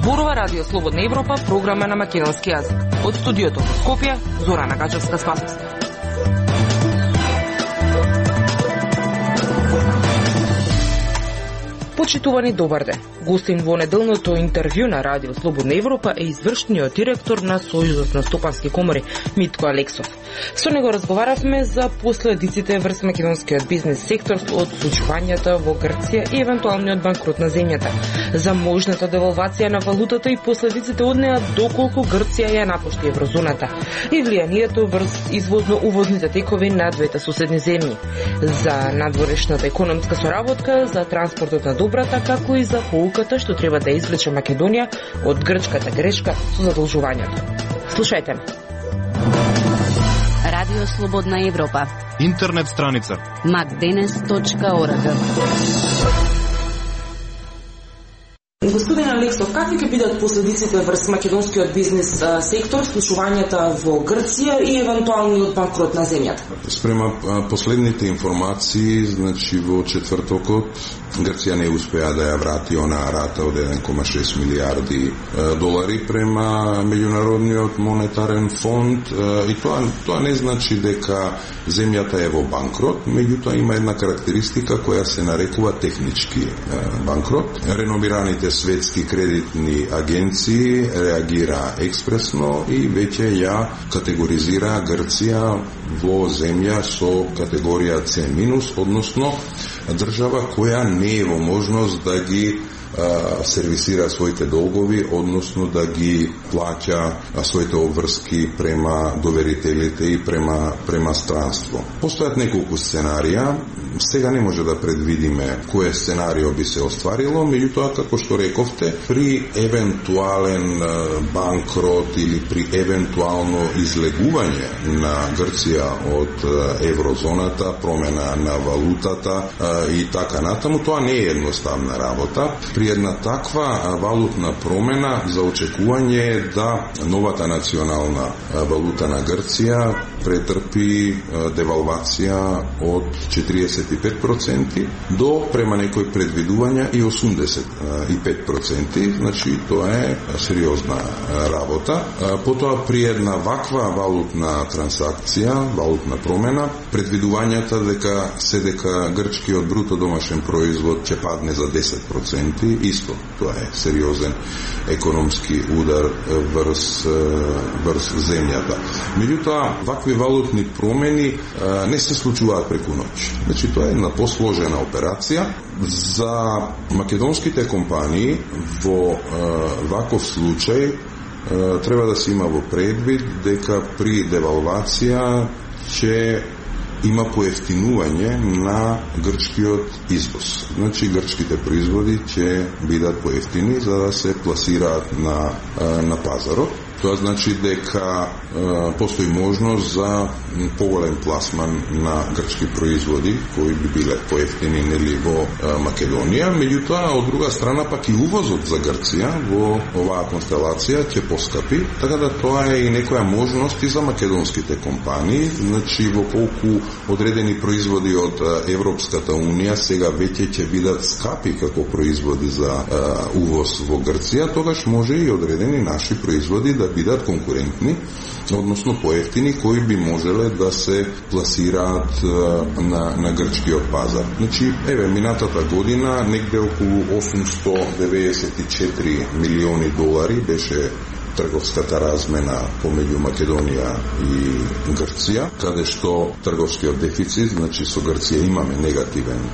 Зборува Радио Слободна Европа, програма на македонски јазик. Од студиото во Скопје, Зорана Гачевска-Спасовска. Почитувани, добар ден. Гостин во неделното интервју на Радио Слободна Европа е извршниот директор на Сојузот на стопански комори Митко Алексов. Со него разговаравме за последиците врз македонскиот бизнес сектор од случувањата во Грција и евентуалниот банкрот на земјата, за можната девалвација на валутата и последиците од неа доколку Грција ја напушти еврозоната и влијанието врз извозно-увозните текови на двете соседни земји, за надворешната економска соработка, за транспортот на добрата, како и за поуката што треба да извлече Македонија од грчката грешка со задолжувањето. Слушајте ме. Радио Слободна Европа. Интернет страница macdenes.org. Господин Алексов, какви ќе бидат последиците врз македонскиот бизнес сектор, случувањата во Грција и евентуалниот банкрот на земјата? Спрема последните информации, значи во четвртокот Грција не успеа да ја врати онаа рата од 1,6 милиарди долари према Меѓународниот монетарен фонд и тоа не значи дека земјата е во банкрот, меѓутоа има една карактеристика која се нарекува технички банкрот. Реномираните светски кредитни агенции реагира експресно и веќе ја категоризира Грција во земја со категорија C-, односно држава која не е во можност да ги сервисира своите долгови, односно да ги плаќа своите обврски према доверителите и према странство. Постојат неколку сценарија. Сега не може да предвидиме кој сценарио би се остварило, меѓутоа, како што рековте, при евентуален банкрот или при евентуално излегување на Грција од еврозоната, промена на валутата и така натаму, тоа не е едноставна работа. При една таква валутна промена за очекување е да новата национална валута на Грција претрпи девалвација од 45% до, према некои предвидувања, и 85%. Значи, тоа е сериозна работа. Потоа, при една ваква валутна трансакција, валутна промена, предвидувањата дека грчкиот бруто домашен производ ќе падне за 10%, исто, тоа е сериозен економски удар врз земјата. Меѓутоа, вакви валутни промени не се случуваат преку ноќ. Значи, тоа е една посложена операција. За македонските компании во ваков случај треба да се има во предвид дека при девалвација ќе има поевтинување на грчкиот извоз. Значи, грчките производи ќе бидат поевтини за да се пласираат на пазарот. Тоа значи дека постои можност за поголем пласман на грчки производи кои би биле поевтини нели во Македонија, меѓутоа од друга страна пак и увозот за Грција во оваа констелација ќе поскапи, така да тоа е и некоја можност и за македонските компании. Значи, во колку одредени производи од Европската Унија сега веќе ќе бидат скапи како производи за увоз во Грција, тогаш може и одредени наши производи да бидат конкурентни, односно поевтини, кои би можеле да се пласираат на грчкиот пазар. Значи, минатата година негде околу 894 милиони долари беше трговската размена помеѓу Македонија и Грција, каде што трговскиот дефицит, значи со Грција имаме негативен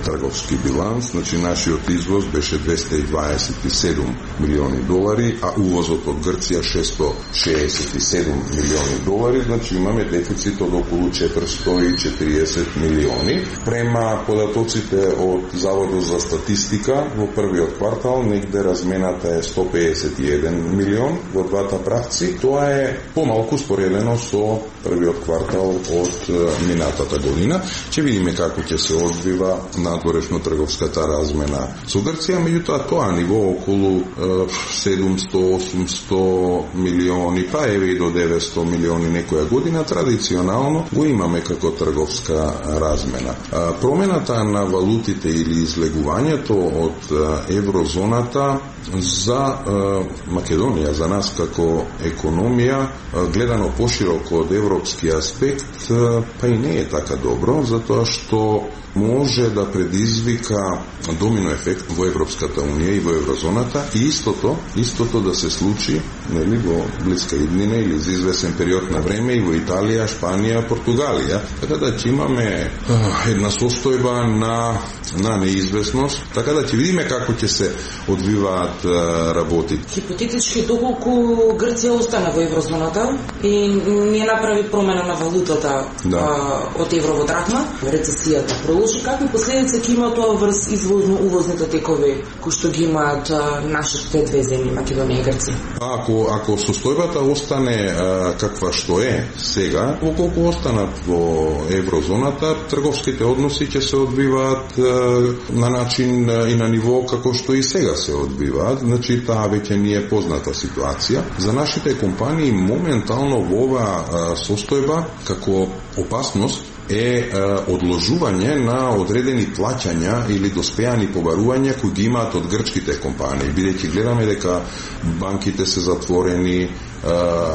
трговски биланс, значи нашиот извоз беше 227 милиони долари, а увозот од Грција 667 милиони долари, значи имаме дефицит од околу 440 милиони. Према податоците од Заводот за статистика, во првиот квартал негде размената е 151 милион во двата правци. Тоа е помалку споредено со првиот квартал од минатата година. Ќе видиме како ќе се одвива надворешно-трговската размена со Грција, меѓутоа тоа ниво околу 700-800 милиони, па еве и до 900 милиони некоја година, традиционално го имаме како трговска размена. Промената на валутите или излегувањето од еврозоната за Македонија, за нас како економија, гледано пошироко од европски аспект, па и не е така добро, затоа што може да предизвика домино ефект во Европската унија и во еврозоната, и истото да се случи, нели, во блиска иднина или за извесен период на време и во Италија, Шпанија, Португалија. Така да ќе имаме една состојба на неизвестност, така да ќе видиме како ќе се одвиваат работите. Хипотетички, доколку Грција остана во еврозоната и не направи промена на валутата од евро во драхма, рецесијата продолжи, какви последици ќе има тоа врз извозно-увозните текови кои што ги имаат нашите две земји, Македонија и Грција? Ако состојбата остане каква што е сега, околку останат во еврозоната, трговските односи ќе се одбиваат на начин и на ниво како што и сега се одбиваат. Значи, таа веќе ни е позната ситуација. За нашите компании моментално во оваа состојба како опасност е одложување на одредени плаќања или доспеани побарувања кои ги имаат од грчките компании, бидејќи гледаме дека банките се затворени,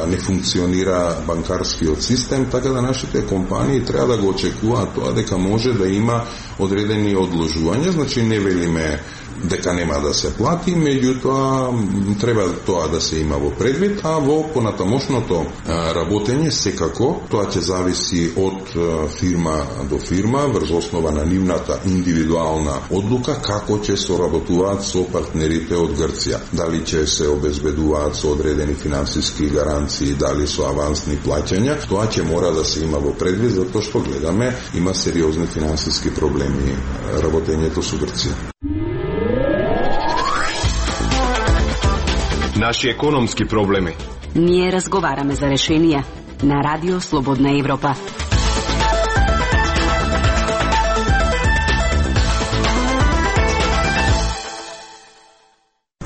не функционира банкарскиот систем, така да нашите компании треба да го очекуваат тоа дека може да има одредени одложувања. Значи, не велиме дека нема да се плати, меѓутоа треба тоа да се има во предвид, а во понатамошното работење секако тоа ќе зависи од фирма до фирма врз основа на нивната индивидуална одлука како ќе соработуваат со партнерите од Грција. Дали ќе се обезбедуваат со одредени финансиски гаранции, дали со авансни плаќања, тоа ќе мора да се има во предвид, затоа што гледаме има сериозни финансиски проблеми работењето со Грција. Наши економски проблеми. Ние разговараме за решенија на Радио Слободна Европа.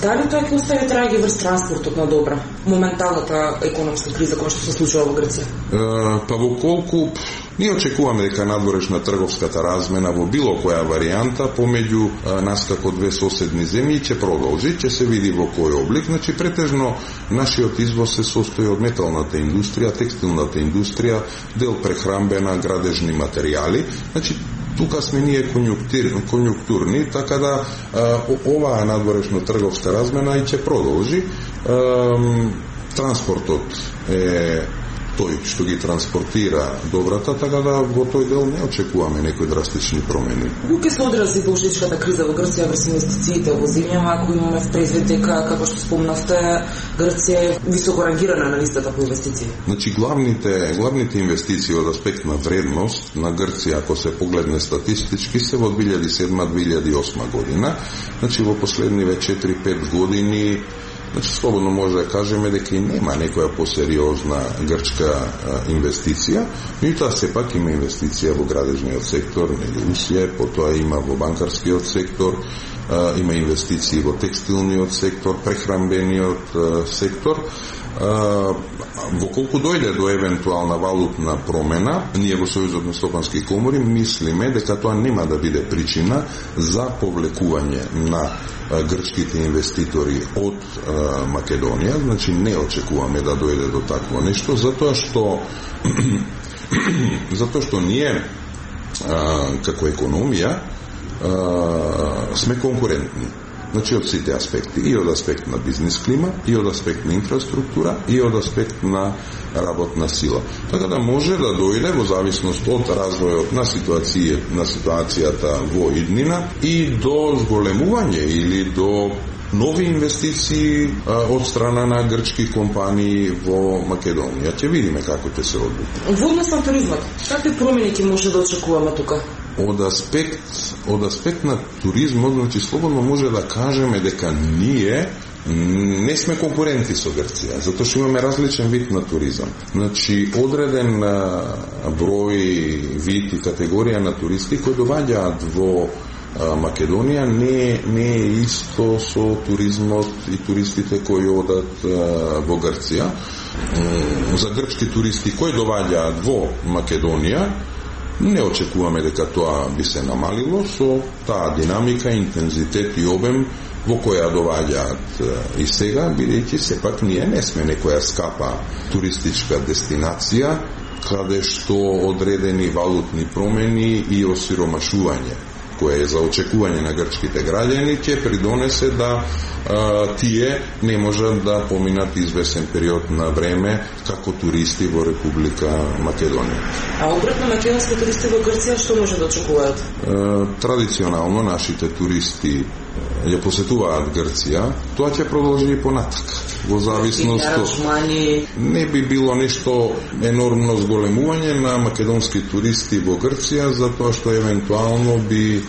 Дали тоа ќе остави траги врз транспортот на добра? Моменталната економска криза која што се случува во Грција? Па во колку ние очекуваме дека надворешна трговската размена во било која варијанта помеѓу нас како две соседни земји ќе продолжи, ќе се види во кој облик. Значи, претежно нашиот извоз се состои од металната индустрија, текстилната индустрија, дел прехрамбена, градежни материјали. Значи, тука сме ние конјунктурни, така да оваа надворешна трговска размена и ќе продолжи. Транспортот е тој што ги транспортира добрата, така да во тој дел не очекуваме некои драстични промени. Како ќе се одрази должничката криза во Грција врз инвестициите во земјава, ако имаме предвид дека, како што спомнавте, Грција е високо рангирана на листата по инвестиции? Значи, главните инвестиции од аспект на вредност на Грција, ако се погледне статистички, се во 2007-2008 година. Значи, во последниве 4-5 години, значи, слободно може да кажеме дека и нема некоја посериозна грчка инвестиција, меѓутоа сепак има инвестиција во градежниот сектор, нели усје, потоа има во банкарскиот сектор, има инвестиции во текстилниот сектор, прехрамбениот сектор. Во колку дојде до евентуална валутна промена, ние во Сојузот на стопански комори мислиме дека тоа нема да биде причина за повлекување на грчките инвеститори од Македонија. Значи, не очекуваме да дојде до такво нешто, затоа што ние како економија сме конкурентни. Значи, од сите аспекти, и од аспект на бизнес клима, и од аспект на инфраструктура, и од аспект на работна сила. Така да може да дојде во зависност од развојот на ситуацијата во иднина и до зголемување или до нови инвестиции од страна на грчки компании во Македонија. Ќе видиме како ќе се одвие. Во однос на туризмот, какви промени ќе може да очекуваме тука? од аспект на туризмот, значи слободно може да кажеме дека ние не сме конкуренти со Грција, затоа што имаме различен вид на туризам. Значи, одреден број, вид и категорија на туристи кои доаѓаат во Македонија не е исто со туризмот и туристите кои одат во Грција. За грчки туристи кои доаѓаат во Македонија, не очекуваме дека тоа би се намалило со таа динамика, интензитет и обем во која доаѓаат и сега, бидејќи сепак ние не сме некоја скапа туристичка дестинација, каде што одредени валутни промени и осиромашување кое е за очекување на грчките граѓани, ќе придонесе да тие не можат да поминат известен период на време како туристи во Република Македонија. А обратно, македонски туристи во Грција што може да очекуваат? Традиционално нашите туристи ја посетуваат Грција, тоа ќе продолжи и понатака. Во зависност не би било нешто енормно зголемување на македонски туристи во Грција, затоа што евентуално би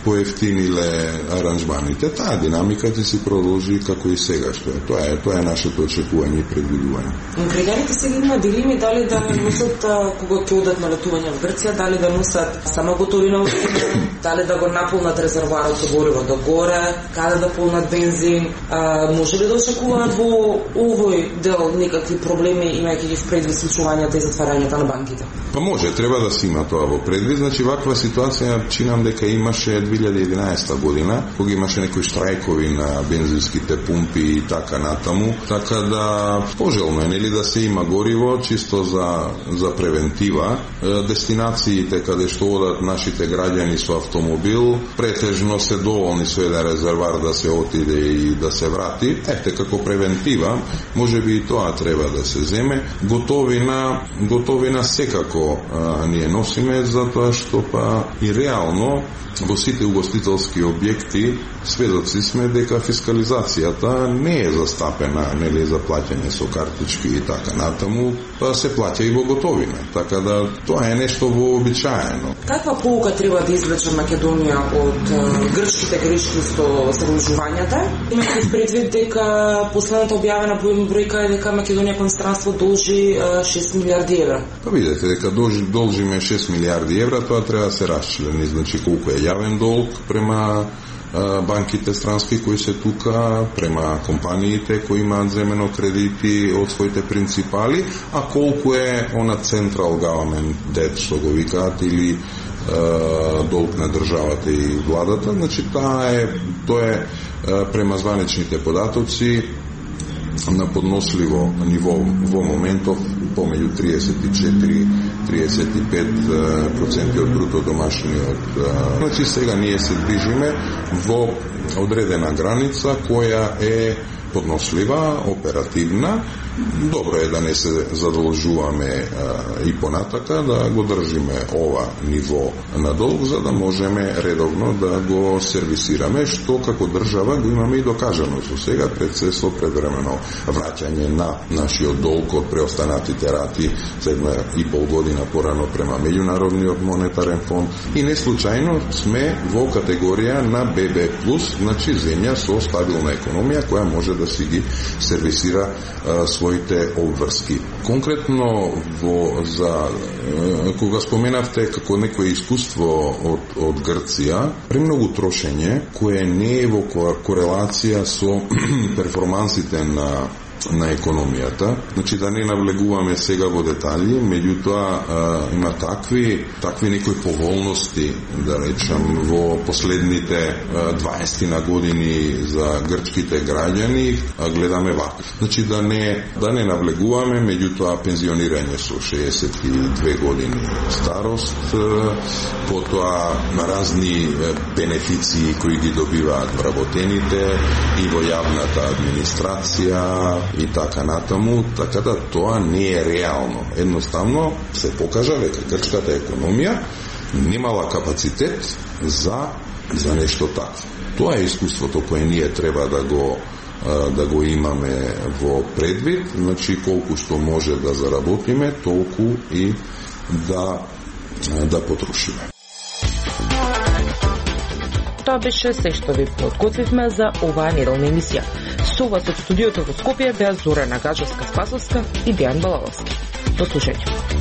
поевтиниле аранжманите. Таа динамика ќе се продолжи како и сега што е. Тоа е нашето очекување и предвидување. Граѓаните сега има дилеми дали да носат кога ќе одат на летување во Грција, дали да носат сама готовина во земја, дали да го наполнат резервоарот со гориво до горе, каде да полнат бензин. Може ли да очекуваат во овој дел некакви проблеми, имајќи ги в предвид случувањата и затварањата на банките? Па може, треба да се има тоа во предвид. Значи, ваква ситуација чинам дека имаше 2011 година, кога имаше некои штрајкови на бензинските пумпи и така натаму, така да пожелно е нели да се има гориво чисто за превентива. Дестинациите каде што одат нашите граѓани со автомобил претежно се доволни со еден резервар да се отиде и да се врати. Ете, како превентива, може би и тоа треба да се земе. Готовина секако ние носиме, затоа што па и реално во сите угостителски објекти сведоци сме дека фискализацијата не е застапена, нели за плаќање со картички и така натаму, па се плаќа и во готовина. Така да тоа е нешто вообичаено. Каква поука треба да извлече Македонија од грчките грешки со заложувањата? Имате предвид дека последната објавена бројка е дека Македонија кон странство должи 6 милиарди евра. Па видите дека должиме 6 милиарди евра, тоа треба да се расчлени, значи колку е јавен долг према банките странски кои се тука, према компаниите кои имаат земено кредити од своите принципали, а колку е она централ government debt, што го викаат, или долг на државата и владата. Значи тоа е према званичните податоци на подносливо ниво во моментов помеѓу 34-35% од бруто домашниот. Значи сега ние се движиме во одредена граница која е поднослива, оперативна. Добро е да не се задолжуваме и понатака, да го држиме ова ниво на долг, за да можеме редовно да го сервисираме, што како држава го имаме и докажано со сега, со предвремено враќање на нашиот долг од преостанатите рати за 1,5 година порано према Меѓународниот монетарен фонд, и не случајно сме во категорија на ББ+, значи земја со стабилна економија која може да си ги сервисира своите обврски. Конкретно кога споменавте како некое искуство од Грција, премногу трошење кое не е во корелација со перформансите на економијата, значи да не навлегуваме сега во детали, меѓутоа има такви некои поволности, да речам, во последните 20 на години за грчките граѓани, гледаме вака. Значи да не навлегуваме, меѓутоа пензионирање со 62 години старост, потоа на разни бенефиции кои ги добиваат вработените и во јавната администрација и така натаму, така да тоа не е реално. Едноставно се покажа дека грчката економија немала капацитет за нешто такво. Тоа е искуството кое ние треба да го имаме во предвид, значи колку што може да заработиме, толку и да потрошиме. Тоа беше се што ви подготвивме за оваа неделна емисија. Со вас од студиото во Скопје беа Зорана Гаджевска-Спасовска и Дејан Балаловски. До слушање.